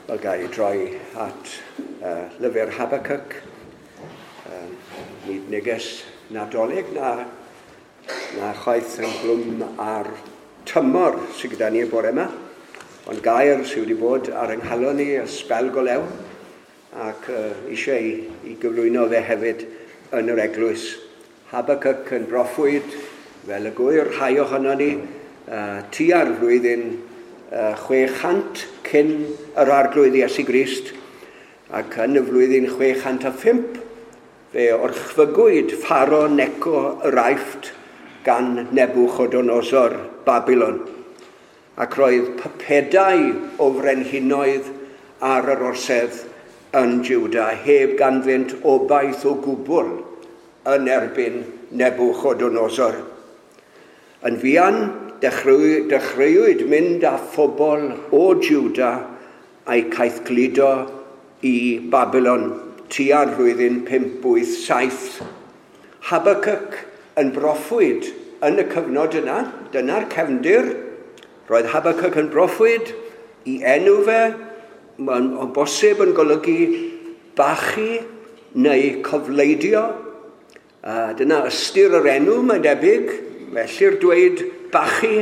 Wel, ga i droi at lyfr Habakkuk. Nid neges Nadolig na chwaith ynghlwm ar tymor sydd gyda ni y bore yma, ond gair sydd wedi bod ar yng nghalon ni y sbel go lew, ac eisiau i gyflwyno fe hefyd yn yr eglwys. Habakkuk yn broffwyd, fel y gwyr rhai ohono ni, tua'r flwyddyn 600 cyn yr Arglwydd Iesu Grist, ac yn y flwyddyn 605 fe orchfygwyd Pharaoh Neco yr Aifft gan Nebuchodonosor Babylon, ac roedd pypedau o frenhinoedd ar yr orsedd yn Juda heb ganddynt obaith o gwbl yn erbyn Nebuchodonosor. Yn fuan dechreuwyd mynd â phobl o Juda a'i caethgludo i Babylon tua'r flwyddyn 587. Habakkuk yn broffwyd yn y cyfnod yna, dyna'r cefndir. Roedd Habakkuk yn broffwyd i enw fe, mae'n o bosib yn golygu bachu neu cofleidio. Dyna ystyr yr enw, mae'n debyg, felly'r dweud bachu,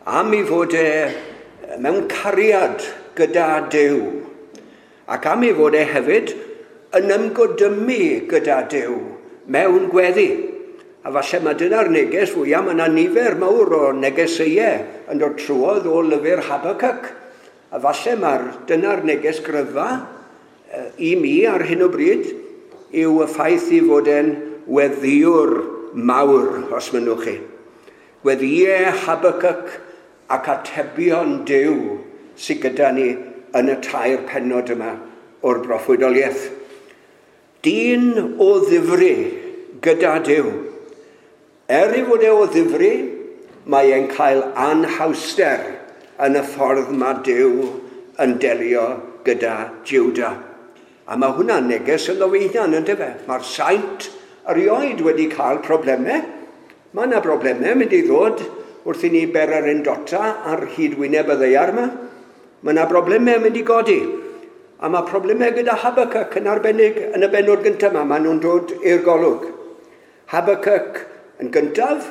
am ei fod e mewn cariad gyda Duw, ac am ei fod e hefyd yn ymgodymu gyda Duw mewn gweddi. A falle mae dyna'r neges fwyaf, mae yna nifer mawr o negeseuau yn dod trwodd o lyfr Habakkuk. A falle mae'r dyna'r neges gryfa i mi ar hyn o bryd yw y ffaith i fod e'n weddiwr mawr, os mynnwch chi. Gweddïau Habakkuk ac atebion Duw sydd gyda ni yn y tair pennod yma o'r broffwydoliaeth. Dyn o ddifri gyda Duw. Er ei fod e o ddifri, mae e'n cael anhawster yn y ffordd mae Duw yn delio gyda Juda. A mae hwnna'n neges ynddo fe hunan, yndyfe? Mae'r saint erioed wedi cael problemau. Mae yna broblemau mynd i ddod wrth i ni bererindota ar hyd wyneb y ddaear yma. Mae yna broblemau mynd i godi. A mae problemau gyda Habakkuk yn arbennig yn y bennod gyntaf yma. Maen nhw'n dod i'r golwg. Habakkuk yn gyntaf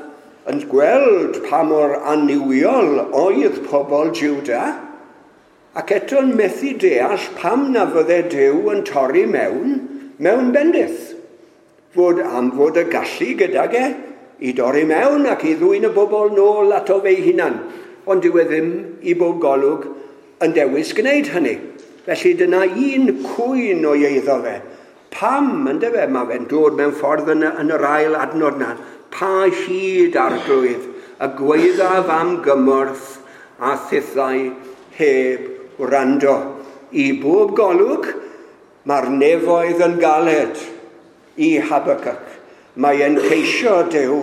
yn gweld pa mor annuwiol oedd pobl Juda, ac eto'n methu deall pam na fydde Duw yn torri mewn bendith. Fod am fod y gallu gydag e i dorri mewn ac i ddwyn y bobl nôl ato fe'i hunan, ond dyw e ddim i bob golwg yn dewis gwneud hynny. Felly dyna un cwyn o'i eiddo fe. Pam, yndyfe, mae fe'n dod mewn ffordd yn yr ail adnod na. Pa hyd Arglwydd, y gwaeddaf am gymorth a thithau heb wrando. I bob golwg, mae'r nefoedd yn galed i Habakkuk. Mae e'n ceisio Duw,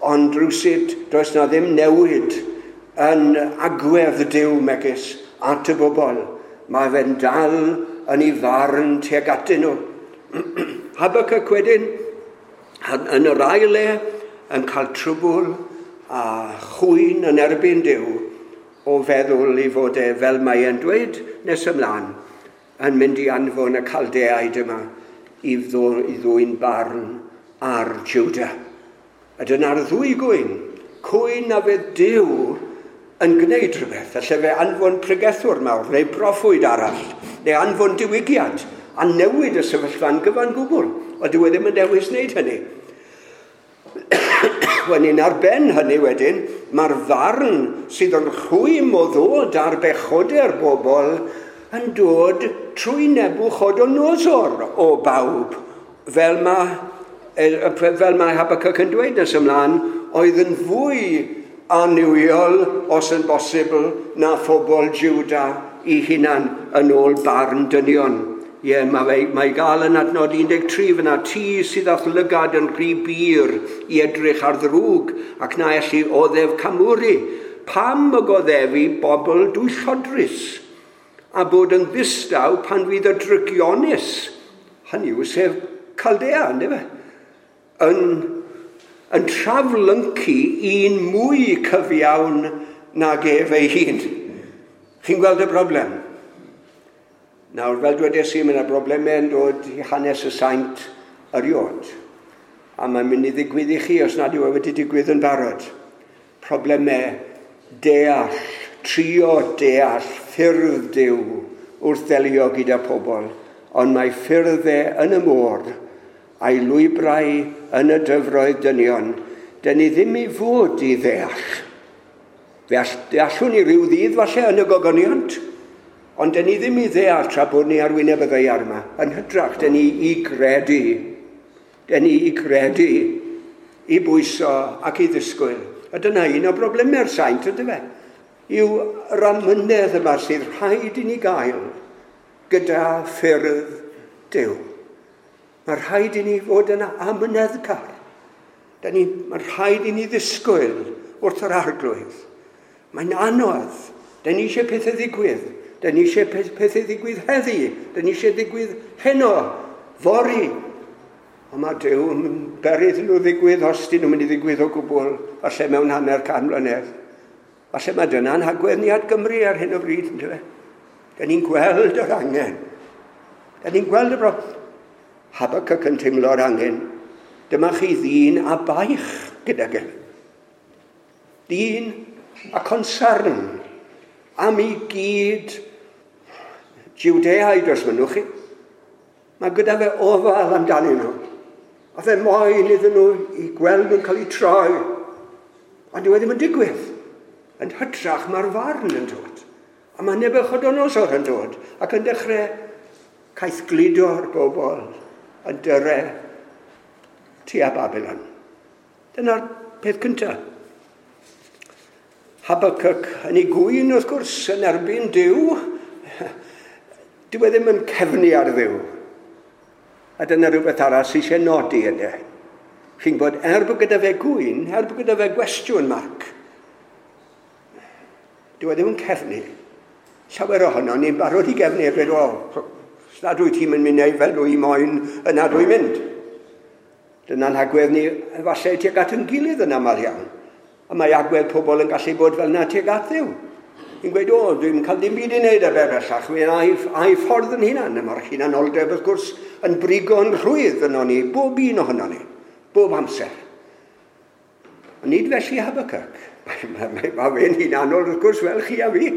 ond rywsut does na ddim newid yn agwedd Duw megis at y bobl. Mae fe'n dal yn ei farn tuag atyn nhw. Habakkuk wedyn, yn yr ail le, yn cael trwbl a chwyn yn erbyn Duw o feddwl i fod e, fel mae e'n dweud nes ymlaen, yn mynd i anfon y Caldeaid yma i ddwyn barn ar Juda. A dyna'r ddwy gwyn, cwyn na fydd Duw yn gwneud rhywbeth, alle fe anfon pregethwr mawr neu broffwyd arall, neu anfon diwygiad, a newid y sefyllfa'n gyfan gwbl, ond dyw e ddim yn dewis wneud hynny. Wedyn ar ben hynny wedyn, mae'r farn sydd yn rhwym o ddod ar bechodau'r bobl yn dod trwy Nebuchodonosor o bawb, fel mae Habakkuk yn dweud nes ymlaen, oedd yn fwy annuwiol, os yn bosibl, na phobl Juda i hunan yn ôl barn dynion. Ie, mae gael yn adnod 13 fyna, ti sydd â'th lygad yn rhy bur i edrych ar ddrwg ac na elli oddef camwri. Pam y goddefu bobl dwyllodrus a bod yn ddistaw pan fydd y drygionus, hynny yw sef Caldea, yndyfe, yn traflyncu un mwy cyfiawn nag ef ei hun. Chi'n gweld y broblem? Nawr, fel dwedes i, mae yna broblemau yn dod i hanes y saint erioed. A mae'n mynd i ddigwydd i chi os nad yw e wedi digwydd yn barod. Problemau deall, trio deall ffyrdd Duw wrth ddelio gyda pobl, ond mae ffyrddau yn y môr a'i lwybrau yn y dyfroedd dynion, dyn ni ddim i fod i ddeall. Fe deallwn ni ryw ddydd falle yn y gogoniant, ond dyn ni ddim i ddeall tra bod ni ar wyneb y ddaear yma. Yn hytrach, dyn ni i gredu. Dyn ni i gredu, i bwyso ac i ddisgwyl. A dyna un o broblemau'r saint, ydy fe? Yw yr amynedd yma sydd rhaid i ni gael gyda ffyrdd Duw. Mae rhaid i ni fod yn amyneddgar. Mae rhaid i ni ddisgwyl wrth yr Arglwydd. Mae'n anodd. Dyn ni eisiau pethau ddigwydd. Dyn ni eisiau pethau ddigwydd heddi. Dyn ni eisiau ddigwydd heno, fory. Ond mae Duw yn beri iddyn nhw ddigwydd os dyn nhw'n mynd i ddigwydd o gwbl, falle mewn 150 mlynedd. Falle mae dyna'n hagwedd ni at Gymru ar hyn o bryd, ynddo fe? Dyn ni'n gweld yr angen. Dyn ni'n gweld y broblem. Habakkuk yn teimlo'r angen. Dyma chi ddyn a baich gydag e. Dyn a concern am ei gyd Jwdeaid, os mynnwch chi. Mae gyda fe ofal amdanyn nhw. A fe moyn iddyn nhw i gweld nhw'n cael eu troi. Ond dyw e ddim yn digwydd. Yn hytrach mae'r farn yn dod. A mae Nebuchodonosor yn dod ac yn dechrau caethgludo'r bobl yn dyre tua Babylon. Dyna'r peth cyntaf. Habakkuk yn ei gŵyn, wrth gwrs, yn erbyn Duw. Dyw e ddim yn cefnu ar Dduw. A dyna rhywbeth arall sydd eisiau nodi yna. Chi'n gwybod, er bod gyda fe gŵyn, er bod gyda fe gwestiwn marc, dyw e ddim yn cefnu. Llawer ohono ni'n barod i gefnu a dweud, o, os nad wyt ti'n mynd i fel dwi moyn, yna dwi'n mynd. Dyna'n hagwedd ni efallai tuag at yn gilydd yn aml iawn. A mae agwedd pobl yn gallu bod fel yna tuag at Dduw. Ni'n gweud, o, dwi'n cael dim byd i wneud â fe bellach, mi a'i ffordd yn hunan. Mae'r hunanoldeb, wrth gwrs, yn brigo'n rhwydd yno ni, bob un ohono ni, bob amser. Ond nid felly Habakkuk. Mae fe'n hunanol, wrth gwrs, fel chi a fi.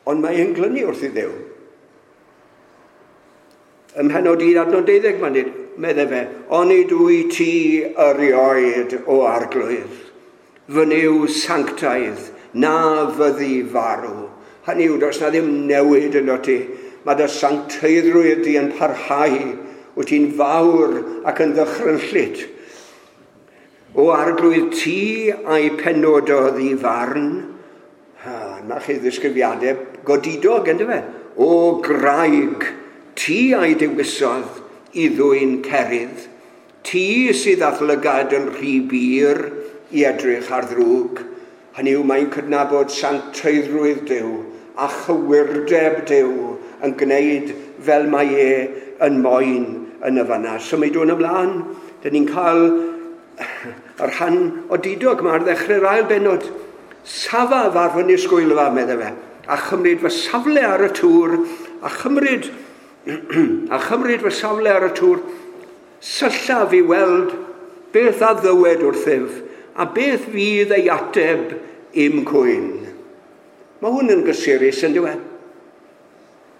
Ond mae e'n glynu wrth i Dduw. Ym mhennod 1 adnod 12 mae'n dweud, medde fe, onid wyt ti erioed o Arglwydd, fy Nuw sanctaidd, na fyddi farw. Hynny yw, does na ddim newid yno ti. Mae dy sancteiddrwydd di yn parhau. Wyt ti'n fawr ac yn ddychrynllyd. O Arglwydd, ti a'i penododd i farn. Ha, na chi ddisgrifiadau godidog, ynddo fe? O graig, ti a'i dewisodd i ddwyn cerydd. Ti sydd â'th lygad yn rhy bur i edrych ar ddrwg. Hynny yw, mae'n cydnabod sancteiddrwydd Duw a chywirdeb Duw yn gwneud fel mae e yn moyn yn y fanna. Symudwn ymlaen, dyn ni'n cael y rhan odidog yma ar ddechrau'r ail bennod. Safaf ar fy nisgwylfa, medde fe, a chymryd fy safle ar y tŵr, a chymryd fy safle ar y tŵr, syllaf i weld beth a ddywed wrthyf, a beth fydd ei ateb i'm cwyn. Mae hwn yn gysurus, yn dyw e?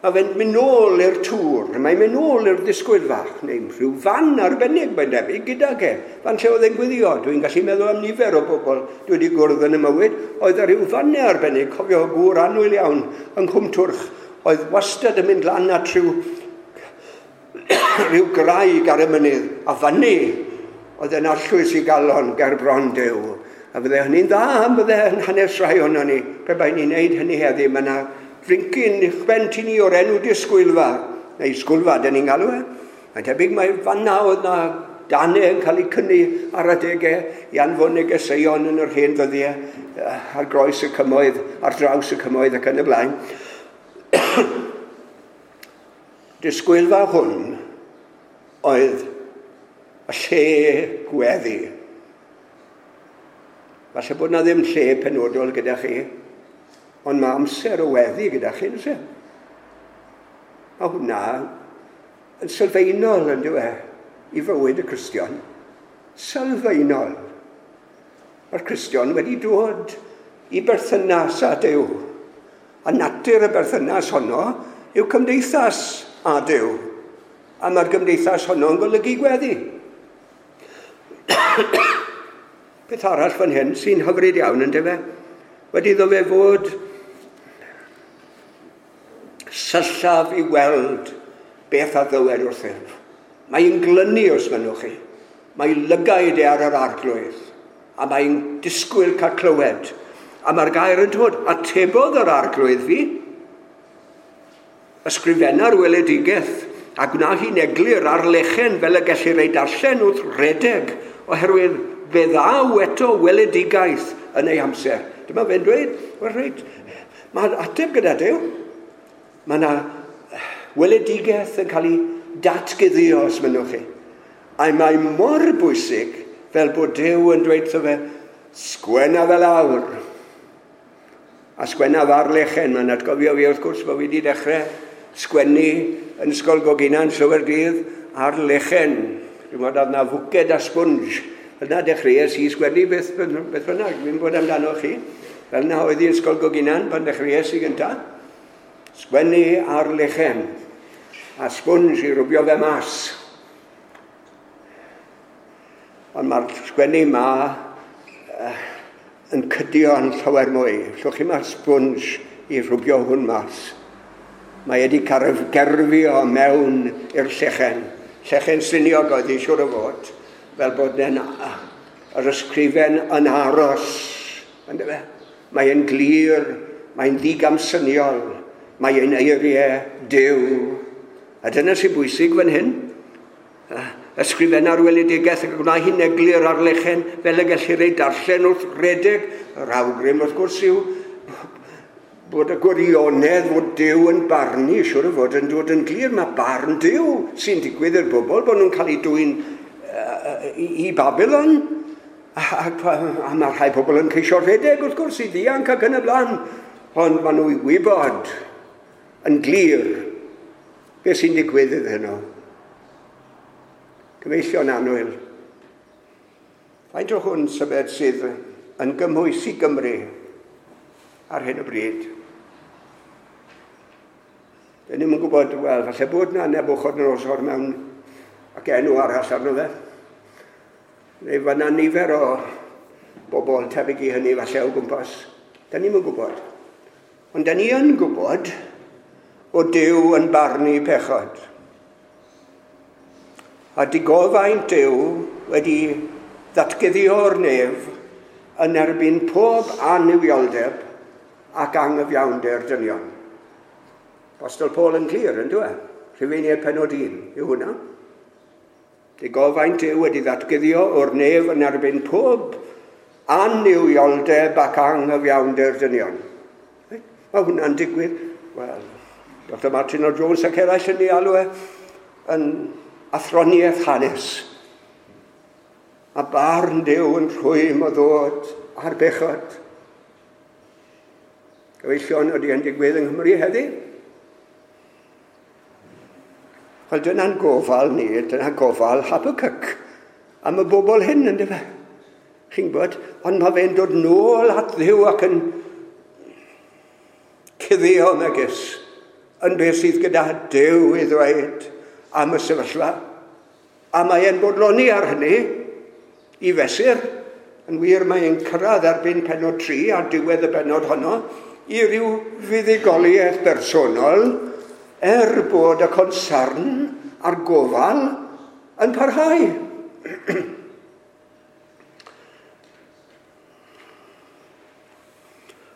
Mae fe'n mynd nôl i'r tŵr, mae'n mynd nôl i'r ddisgwyl fach, neu rhyw fan arbennig mae'n debyg gydag e. Fan lle oedd e'n gweddio, dwi'n gallu meddwl am nifer o bobl dwi wedi gwrdd yn y mywyd, oedd ar ryw fannau arbennig, cofio gŵr annwyl iawn yng Nghwmtwrch, oedd wastad yn mynd lan at rhyw graig ar y mynydd, a fyny oedd e'n arllwys i galon ger bron Duw. A fydde hynny'n dda am fydde yn hanes rhai ohono ni, pe bai ni'n neud hynny heddi, mae yna frincyn uwchben ti ni o'r enw disgwylfa, neu sgwylfa, dyn ni'n galw e. Mae'n tebyg mae fanna oedd na danau yn cael eu cynnu ar adegau i anfon negeseuon yn yr hen ddyddiau ar groes y cymoedd, ar draws y cymoedd ac yn y blaen. Disgwylfa hwn oedd y lle gweddi. Falle bod na ddim lle penodol gyda chi, ond mae amser o weddi gyda chi, nid oes e? Mae hwnna yn sylfaenol, yn dyw e, i fywyd y Cristion. Sylfaenol. Mae'r Cristion wedi dod i berthynas â Duw. A natur y berthynas honno yw cymdeithas â Duw. A mae'r gymdeithas honno yn golygu gweddi. Peth arall fan hyn sy'n hyfryd iawn, yn dyfe? Wedi iddo fe fod syllaf i weld beth a ddywed wrthyf. Mae'n glynu, os mynnwch chi. Mae lygaid e ar yr Arglwydd, a mae'n disgwyl cael clywed. A mae'r gair yn dod, atebodd yr Arglwydd fi. Ysgrifenna'r weledigaeth, a gwna hi'n eglur ar lechen fel y gellir ei darllen wrth redeg, oherwydd fe ddaw eto weledigaeth yn ei amser. Dyma fe'n dweud, wel reit, mae'r ateb gyda Duw. Mae yna weledigaeth yn cael ei datguddio, os mynnwch chi. A mae mor bwysig fel bod Duw yn dweud wrtho fe, sgwenna fe lawr. A sgwenna ar lechen, mae'n atgofio fi wrth gwrs bod fi wedi dechrau sgwennu yn Ysgol Goginan llawer dydd ar lechen. Dwi'n meddwl oedd 'na fwced a sponge. Fel 'na dechreuais i sgwennu beth bynnag, dwi'n bod amdano chi. Fel 'na oedd i Ysgol Goginan pan dechreuais i gyntaf. Sgwennu ar lechen a sponge i rwbio fe mas. Ond mae'r sgwennu yma yn cydio yn llawer mwy. Llwch chi mae'r sponge i rwbio hwn mas. Mae wedi gerfio mewn i'r llechen. Llechen syniog oedd hi siŵr o fod, fel bod yr ysgrifen yn aros. Yndyfe? Mae'n glir, mae'n ddigamsyniol, mae'n eiriau Duw. A dyna sy'n bwysig fan hyn. Ysgrifenna'r weledigaeth ac gwna hi'n eglur ar lechen fel y gellir ei darllen wrth redeg. Yr awgrym wrth gwrs yw bod y gwirionedd fod Duw yn barnu, siŵr o fod yn dod yn glir. Mae barn Duw sy'n digwydd i'r bobl, bod nhw'n cael eu dwyn i Babylon. A mae rhai pobl yn ceisio rhedeg wrth gwrs i ddianc ac yn y blaen. Ond maen nhw i wybod yn glir beth sy'n digwydd iddyn nhw. Cyfeillion annwyl, faint o hwn sybed sydd yn gymhwys i Gymru ar hyn o bryd? Dyn ni'm yn gwybod, wel, falle bod na Nebuchadnezzar mewn ac enw arall arno fe. Neu fan'na nifer o bobl tebyg i hynny falle o gwmpas. Dyn ni'm yn gwybod. Ond dyn ni yn gwybod o Duw yn barnu pechod. A digofaint Duw wedi ddatguddio'r nef yn erbyn pob annuwioldeb ac anghyfiawnder dynion. Apostol Paul yn glir, yn dwi? Rhufeiniaid pennod 1 yw hwnna. Digofaint Duw wedi ddatguddio o'r nef yn erbyn pob annuwioldeb ac anghyfiawnder dynion. Mae hwnna'n digwydd. Wel, Dr Martin O. Jones ac eraill yn ei alw e yn athroniaeth hanes. A barn Duw yn rhwym o ddod ar bechod. Gyfeillion, ydy yn digwydd yng Nghymru heddi? Wel, dyna'n gofal ni, dyna gofal Habakkuk am y bobl hyn, yndyfe? Chi'n gwybod, ond mae fe'n dod nôl at Dduw ac yn cuddio megis yn beth sydd gyda Duw i ddweud am y sefyllfa. A mae e'n bodloni ar hynny i fesur. Yn wir, mae e'n cyrraedd erbyn pennod 3 ar diwedd y bennod honno i ryw fuddugoliaeth bersonol, er bod y consarn a'r gofal yn parhau.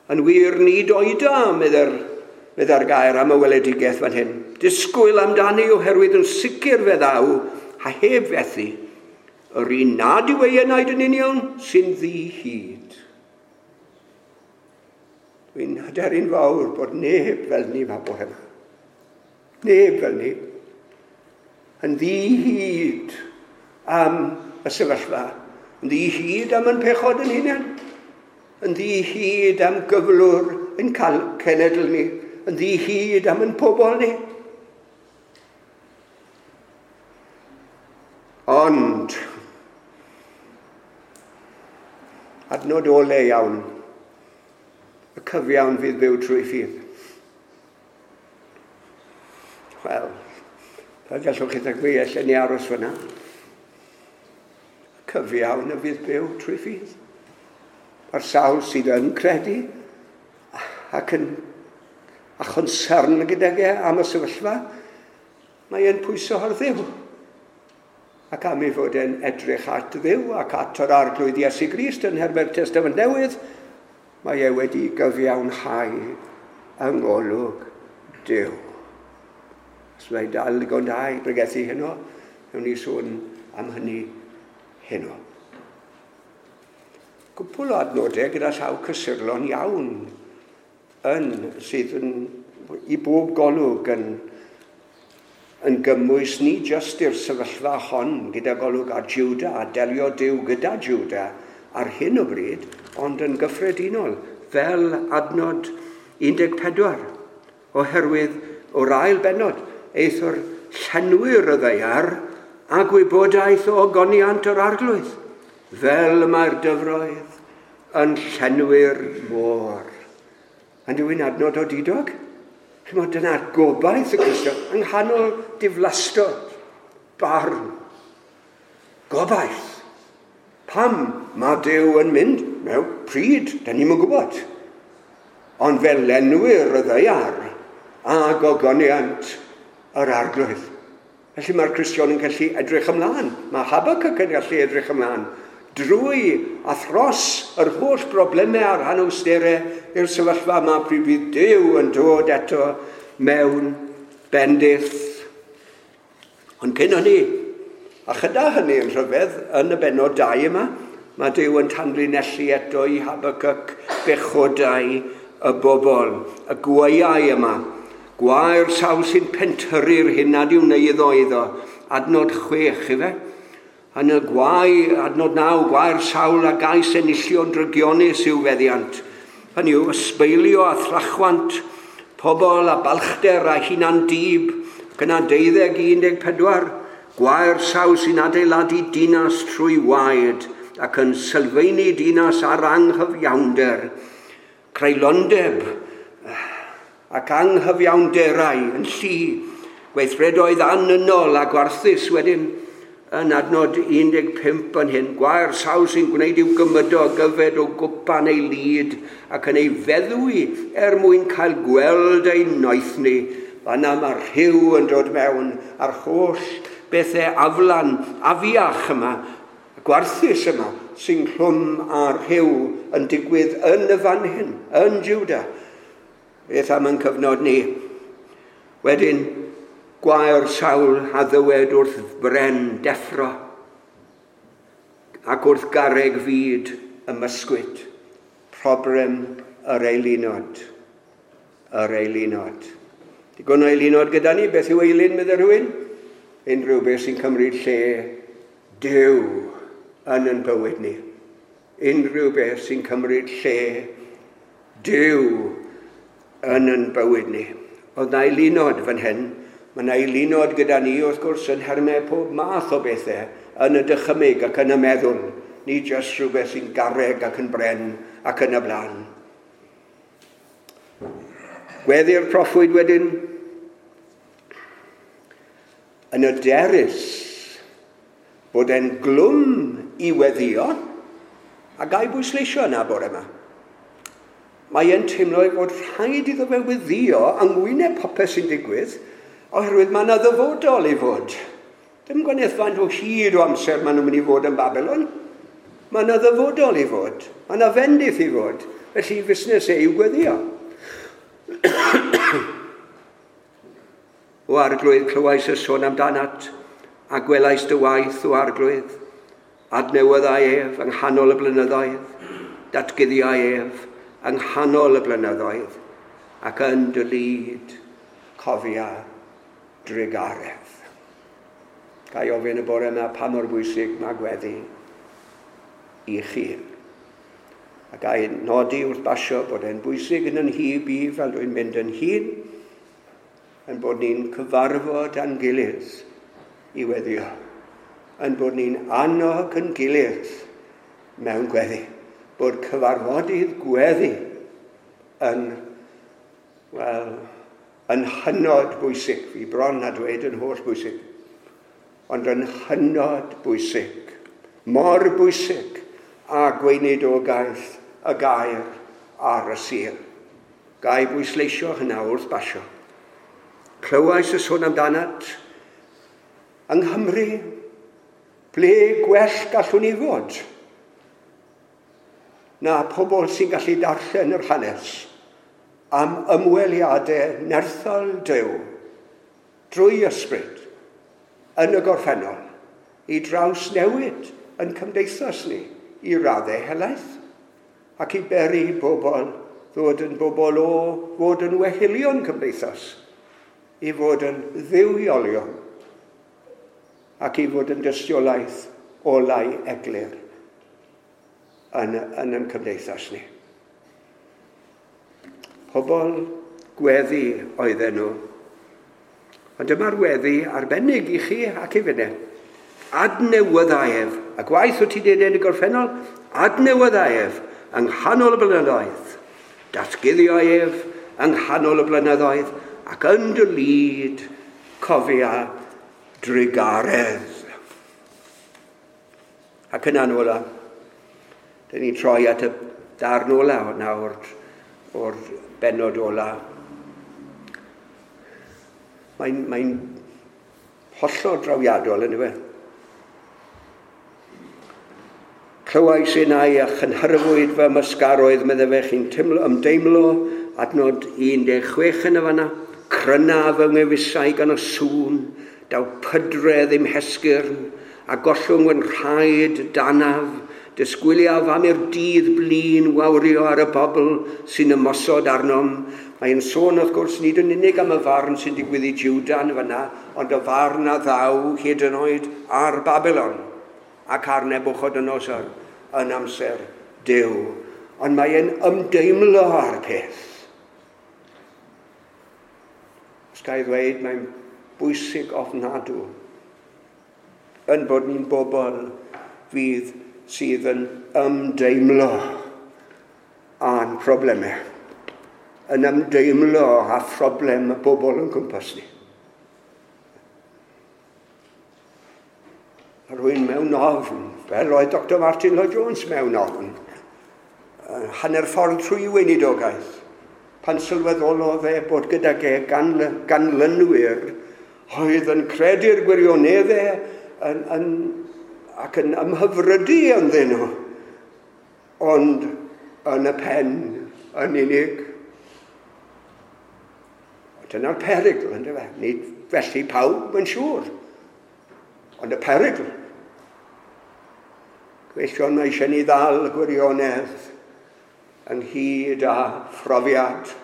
Yn wir, nid oeda, medda'r gair am y weledigaeth fan hyn. Disgwyl amdani oherwydd yn sicr fe ddaw, a heb fethu, yr un nad yw ei enaid yn union sy'n ddi-hid. Dwi'n hyderu'n fawr bod neb fel ni ma bore yma. Neb fel ni. Yn ddi-hid am y sefyllfa. Yn ddi-hid am yn pechod yn hunain. Yn ddi-hid am gyflwr yn cael cenedl ni. Yn ddi-hid am yn pobl ni. Ond, adnod ole iawn, y cyfiawn fydd byw trwy ffydd. Wel, fel gallwch chi ddygfu, allan ni aros fyna. Y cyfiawn y fydd byw trwy ffydd. Mae'r sawl sydd yn credu ac yn a chonsern gydag e am y sefyllfa, mae e'n pwyso ar Dduw. Ac am ei fod e'n edrych at Dduw ac at yr Arglwydd Iesu Grist yn nhermau'r Testament Newydd, mae e wedi gyfiawnhau yng ngolwg Duw. Os mae dal digon da i bregethu heno, wnawn ni sôn am hynny heno. Cwpwl o adnodau gyda llaw cysurlon iawn yn sydd yn, i bob golwg yn gymwys ni jyst i'r sefyllfa hon gyda golwg ar Juda a delio Duw gyda Juda ar hyn o bryd, ond yn gyffredinol fel adnod 14, oherwydd o'r ail bennod, eithr llenwyr y ddaear a gwybodaeth o ogoniant yr Arglwydd, fel mae'r dyfroedd yn llenwi'r môr. Yn yw'n adnod odidog? Chimod, dyna'r gobaith y Cristion yng nghanol diflastod, barn, gobaith. Pam mae Duw yn mynd? Mewn pryd, da ni'm yn gwybod. Ond fel lenwyr y ddaear a gogoniant yr Arglwydd. Felly mae'r Cristion yn gallu edrych ymlaen. Mae Habakkuk yn gallu edrych ymlaen drwy a thros yr holl broblemau a'r anawsterau i'r sefyllfa yma pryd fydd Duw yn dod eto mewn bendith. Ond cyn hynny, a chyda hynny yn rhyfedd, yn y bennod 2 yma, mae Duw yn tanlinellu eto i Habakkuk bechodau y bobl, y gwaeau yma. Gwae'r sawl sy'n pentyrru'r hyn nad yw'n eiddo iddo. Adnod 6, ife? Yn y gwae, adnod 9, gwae'r sawl a gais enillion drygionus i'w feddiant. Hynny yw, ysbeilio a thrachwant, pobl a balchder a hunan dib, ac yna 12 i 14, gwae'r sawl sy'n adeiladu dinas trwy waed ac yn sylfaenu dinas ar anghyfiawnder, creulondeb ac anghyfiawnderau yn llu, gweithredoedd annynol a gwarthus wedyn, yn adnod 15 yn hyn, gwae'r sawl sy'n gwneud i'w gymydog gyfed o gwpan ei lid ac yn ei feddwi er mwyn cael gweld ei noethni. Fanna mae rhyw yn dod mewn a'r holl bethau aflan, afiach yma, gwarthus yma, sy'n clwm â rhyw yn digwydd yn y fan hyn, yn Juda. Beth am yn cyfnod ni? Wedyn, gwae'r sawl a ddywed wrth bren deffro ac wrth garreg fyd ymysgwyd. Problem yr eilinod. Yr eilinod. Digon o eilinod gyda ni, beth yw eilun, meddai rhywun? Unrhyw beth sy'n cymryd lle Duw yn ein bywyd ni. Unrhyw beth sy'n cymryd lle Duw yn ein bywyd ni. Oedd na eilinod fan hyn. Mae yna eilinod gyda ni, wrth gwrs, yn nhermau pob math o bethau yn y dychymyg ac yn y meddwl. Ni jyst rhywbeth sy'n garreg ac yn bren ac yn y blaen. Gweddi'r proffwyd wedyn yn y derys bod e'n glwm i weddio, a gai bwysleisio yna bore yma. Mae e'n teimlo ei fod rhaid iddo fe weddio yng ngwyneb popeth sy'n digwydd, oherwydd mae yna ddyfodol i fod. Dim gwaniaeth faint o hyd o amser maen nhw'n mynd i fod yn Babylon. Mae yna ddyfodol i fod. Mae yna fendith i fod. Felly fusnes e yw gweddio. O Arglwydd, clywais y sôn amdanat, a gwelais dy waith, o Arglwydd. Adnewyddai ef yng nghanol y blynyddoedd, datguddiai ef yng nghanol y blynyddoedd, ac yn dy lid cofia drugaredd. Ga i ofyn y bore yma pa mor bwysig mae gweddi i chi. A ga i nodi wrth basio bod e'n bwysig yn yn hyb i fel dwi'n mynd yn hŷn, yn bod ni'n cyfarfod â'n gilydd i weddio. yn bod ni'n annog yn gilydd mewn gweddi. Bod cyfarfodydd gweddi yn, wel, yn hynod bwysig. Fi bron a dweud yn holl bwysig. Ond yn hynod bwysig. Mor bwysig a gweinidogaeth y gair ar y Sul. Ga i bwysleisio hynna wrth basio. Clywais y sôn amdanat yng Nghymru, ble gwell gallwn ni fod na pobl sy'n gallu darllen yr hanes am ymweliadau nerthol Duw drwy ysbryd yn y gorffennol i drawsnewid yn cymdeithas ni i raddau helaeth ac i beri bobl ddod yn bobl o fod yn wehilion cymdeithas, i fod yn dduwiolion ac i fod yn dystiolaeth olau eglur yn yn cymdeithas ni. Pobl gweddi oedden nhw. Ond dyma'r weddi arbennig i chi ac i finne. Adnewydda ef, a gwaith wyt ti wedi yn y gorffennol, adnewydda ef yng nghanol y blynyddoedd. Datguddio ef yng nghanol y blynyddoedd ac yn dy lid cofia drugaredd. Ac yna'n ola, dyn ni'n troi at y darn ola nawr o'r bennod ola. Mae'n hollol drawiadol yn yw e. Clywais innau a chynhyrfwyd fy ymysgaroedd, medde fe, chi'n ymdeimlo, adnod 16 yn y fanna, cryna fy ngewysau gan y sŵn, daw pydredd i'm hesgyrn, a gollwng fy nhraed danaf, disgwyliaf am i'r dydd blin wawrio ar y bobl sy'n ymosod arnom. Mae'n sôn, wrth gwrs, nid yn unig am y farn sy'n digwydd i Juda yn fanna, ond y farn a ddaw hyd yn oed ar Babylon ac ar Nebuchadnezzar yn amser Duw. Ond mae'n ymdeimlo â'r peth. Os ga i ddweud, mae'n bwysig ofnadw yn bod ni'n bobl fydd sydd yn ymdeimlo â'n problemau, yn ymdeimlo â phroblem y bobl yn cwmpas ni. A rhywun mewn ofn, fel oedd Dr Martin Lloyd Jones mewn ofn, hanner ffordd trwy weinidogaeth, pan sylweddolodd e bod gydag e ganlynwyr oedd yn credu'r gwirioneddau ac yn ymhyfrydu ynddyn nhw, ond yn y pen yn unig. Dyna'r perygl, yndyfe? Nid felly pawb yn siŵr, ond y perygl. Gweision, mae eisiau ni ddal gwirionedd ynghyd â phrofiad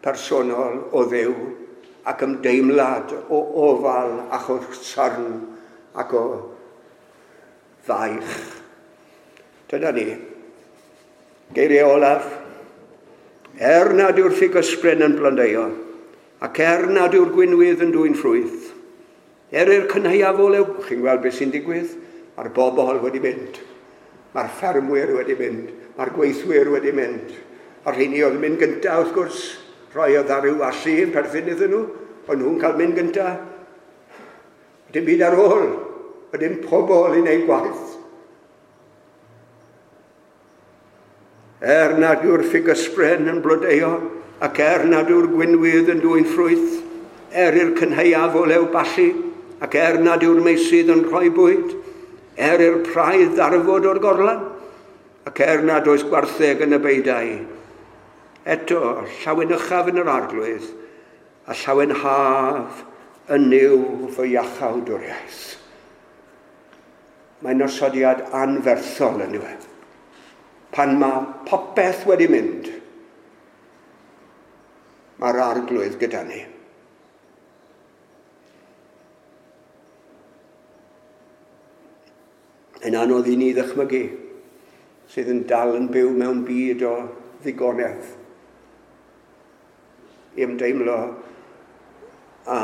personol o Dduw ac ymdeimlad o ofal ac o sarn ac o faich. Dyna ni. Geiriau olaf. Er nad yw'r ffigysbren yn blodeuo, ac er nad yw'r gwinwydd yn dwyn ffrwyth, er i'r cynhaeaf olew, chi'n gweld beth sy'n digwydd? Mae'r bobl wedi mynd. Mae'r ffermwyr wedi mynd. Mae'r gweithwyr wedi mynd. A'r rheini oedd yn mynd gyntaf, wrth gwrs, rhoi oedd ar ryw allu yn perthyn iddyn nhw, ond nhw'n cael mynd gyntaf. Dim byd ar ôl, a dim pobl i wneud gwaith. Er nad yw'r ffigysbren yn blodeuo, ac er nad yw'r gwinwydd yn dwyn ffrwyth, er i'r cynhaeaf olew ballu, ac er nad yw'r meysydd yn rhoi bwyd, er i'r praidd ddarfod o'r gorlan, ac er nad oes gwartheg yn y beidau. Eto, llawenychaf yn yr arglwydd, a llawenhaf yn Nuw fy iachawdwriaeth. Mae'n osodiad anferthol yn yw e. Pan mae popeth wedi mynd, mae'r arglwydd gyda ni. Yn anodd i ni ddychmygu sydd yn dal yn byw mewn byd o ddigonedd i ymdeimlo â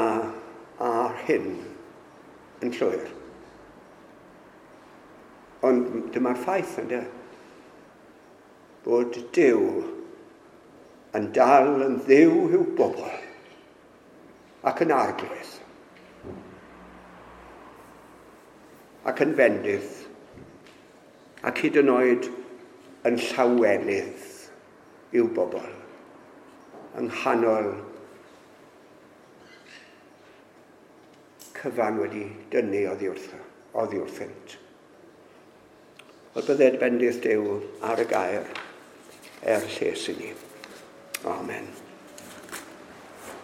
hyn yn llwyr. Ond dyma'r ffaith, ynddo? Bod Duw yn dal yn ddiw i'w bobl ac yn arglwydd ac yn fendith ac hyd yn oed yn llawenydd i'w bobl yng nghanol cyfan wedi dynnu oddi wrthynt. Wel, bydded bendith Duw ar y gair er lles i ni. Amen.